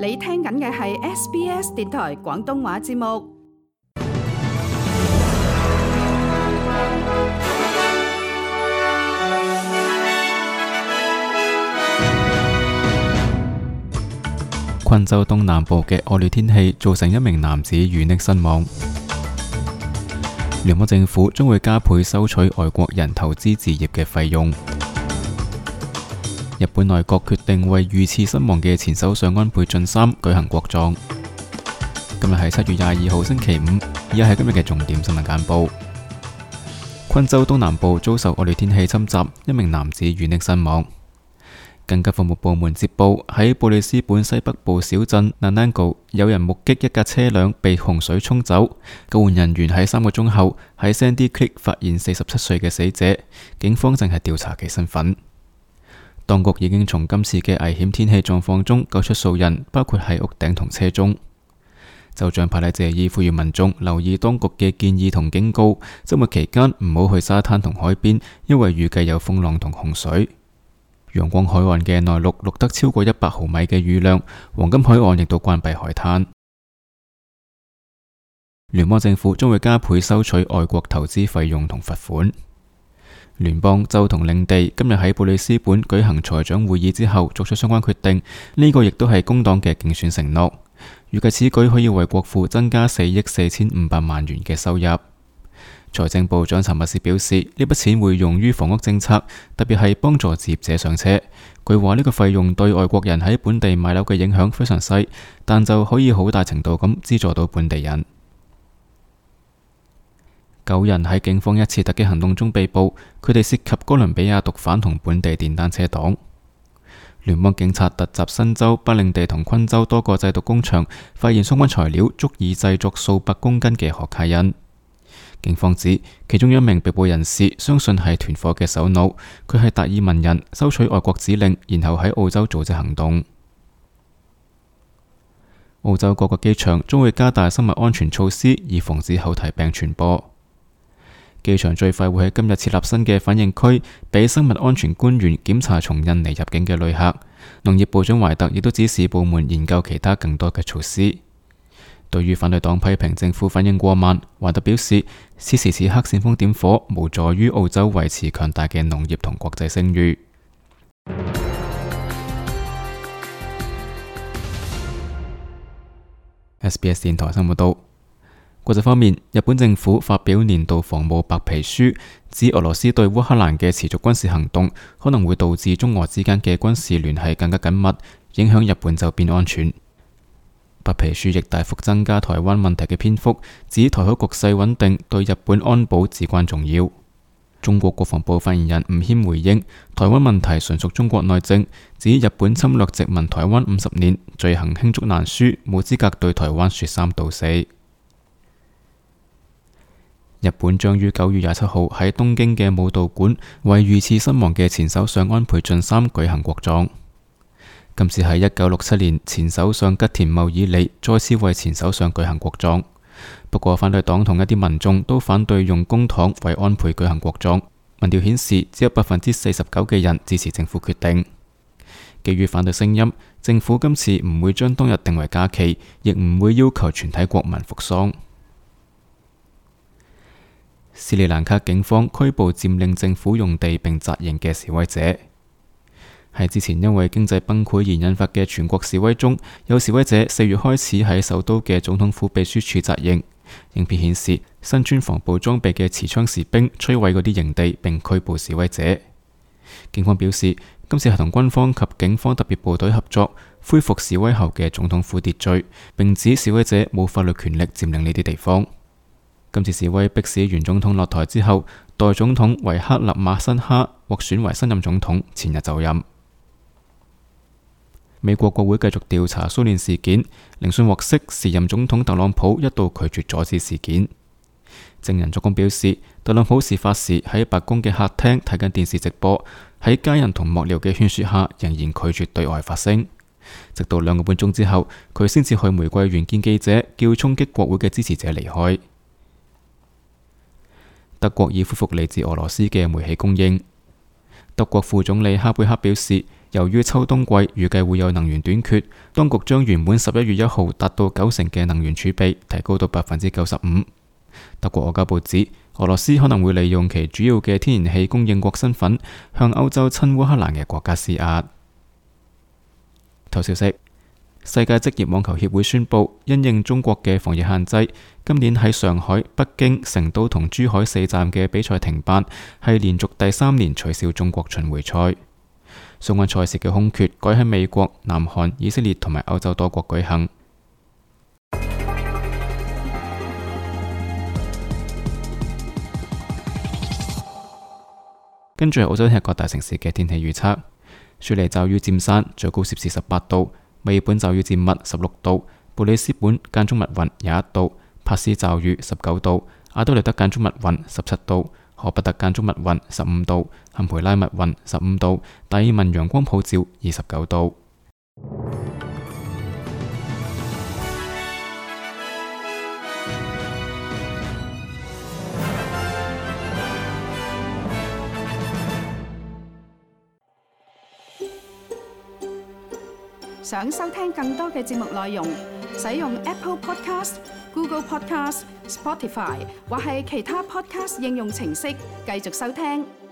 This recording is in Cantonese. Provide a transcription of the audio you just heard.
你聽緊嘅係 SBS 電台廣東話節目。昆州東南部嘅惡劣天氣造成一名男子遇溺身亡。聯邦政府將會加倍收取外國人投資置業嘅費用。日本內閣決定為遇刺身亡嘅前首相安倍晉三舉行國葬。今日係7月22號星期五，以下係今日嘅重點新聞簡報。昆州東南部遭受惡劣天氣侵襲，一名男子遇溺身亡。緊急服務部門接報，喺布里斯本西北部小鎮 Nanango 有人目擊一架車輛被洪水沖走。救援人員喺3個鐘後喺 Sandy Creek 發現47歲嘅死者，警方正係調查其身份。當局已經從今次嘅危險天氣狀況中救出數人，包括喺屋頂同車中。州長帕里謝爾呼籲民眾留意當局嘅建議同警告，周末期間唔好去沙灘同海邊，因為預計有風浪同洪水。陽光海岸嘅內陸錄得超過100毫米嘅雨量，黃金海岸亦都關閉海灘。聯邦政府將會加倍收取外國投資費用同罰款。聯邦、州同領地今日喺布里斯本舉行財長會議之後作出相關決定，呢個亦都係工黨嘅競選承諾。預計此舉可以為國庫增加4億4500萬元嘅收入。財政部長查密斯表示，呢筆錢會用於房屋政策，特別係幫助置業者上車。佢話呢個費用對外國人喺本地買樓嘅影響非常細，但就可以好大程度咁資助到本地人。9人喺警方一次突擊行動中被捕，佢哋涉及哥倫比亞毒販同本地電單車黨。聯邦警察突襲新州、北領地同昆州多個製毒工場，發現相關材料足以製作數百公斤嘅可卡因。警方指其中一名被捕人士相信係團伙嘅首腦，佢係達爾文人，收取外國指令，然後喺澳洲組織行動。澳洲各個機場將會加大生物安全措施，以防止口蹄病傳播。機場最快會喺今日設立新嘅反應區，俾生物安全官員檢查從印尼入境嘅旅客。農業部長懷特亦都指示部門研究其他更多嘅措施。對於反對黨批評政府反應過慢，懷特表示，此時此刻煽風點火，無助於澳洲維持強大嘅農業同國際聲譽。SBS 電台新聞報道。國際方面，日本政府發表年度防務白皮書，指俄羅斯對烏克蘭嘅持續軍事行動可能會導致中俄之間嘅軍事聯繫更加緊密，影響日本周邊安全。白皮書亦大幅增加台灣問題嘅篇幅，指台海局勢穩定對日本安保至關重要。中國國防部發言人吳謙回應，台灣問題純屬中國內政，指日本侵略殖民台灣50年，罪行罄竹難書，冇資格對台灣說三道四。日本將於9月27號喺東京嘅武道館為遇刺身亡嘅前首相安倍晉三舉行國葬。今次係1967年前首相吉田茂以嚟再次為前首相舉行國葬。不過反對黨同一啲民眾都反對用公帑為安倍舉行國葬。民調顯示只有49%嘅人支持政府決定。基於反對聲音，政府今次唔會將當日定為假期，亦唔會要求全體國民服喪。斯里蘭卡警方拘捕佔領政府用地並紮營嘅示威者。喺之前因為經濟崩潰而引發嘅全國示威中，有示威者4月開始喺首都嘅總統府秘書處紮營。影片顯示身穿防暴裝備嘅持槍士兵摧毀嗰啲營地並拘捕示威者。警方表示，今次係同軍方及警方特別部隊合作，恢復示威後嘅總統府秩序，並指示威者冇法律權力佔領呢啲地方。今次示威迫使原總統落台之後，代總統維克勒馬辛哈獲選為新任總統，前日就任。美國國會繼續調查騷亂事件，聆訊獲悉，時任總統特朗普一度拒絕阻止事件。證人作供表示，特朗普事發時喺白宮嘅客廳睇緊電視直播，喺家人同幕僚嘅勸說下，仍然拒絕對外發聲。直到2個半鐘之後，佢先至去玫瑰園見記者，叫衝擊國會嘅支持者離開。德國已恢復嚟自俄羅斯嘅煤氣供應。德國副總理哈貝克表示，由於秋冬季預計會有能源短缺，當局將原本11月1號達到90%嘅能源儲備提高到95%。德國外交部指，俄羅斯可能會利用其主要嘅天然氣供應國身份，向歐洲親烏克蘭嘅國家施壓。頭消息：世界職業網球協會宣布，因應中國嘅防疫限制，今年喺上海、北京、成都同珠海4站嘅比賽停辦，係連續第3年取消中國巡迴賽。相關賽事嘅空缺改喺美國、南韓、以色列同埋歐洲多國舉行。跟住係澳洲聽日各大城市嘅天氣預測：雪梨驟雨佔山，最高攝氏18度；墨爾本驟雨佔密16度；布里斯本間中密雲21度；帕斯驟雨19度；阿德萊德間中密雲17度；荷伯特間中密雲15度；坎培拉密雲15度；達爾文陽光普照29度。想收聽更多嘅節目內容，使用 Apple Podcast、Google Podcast、Spotify 或係其他 Podcast 應用程式繼續收聽。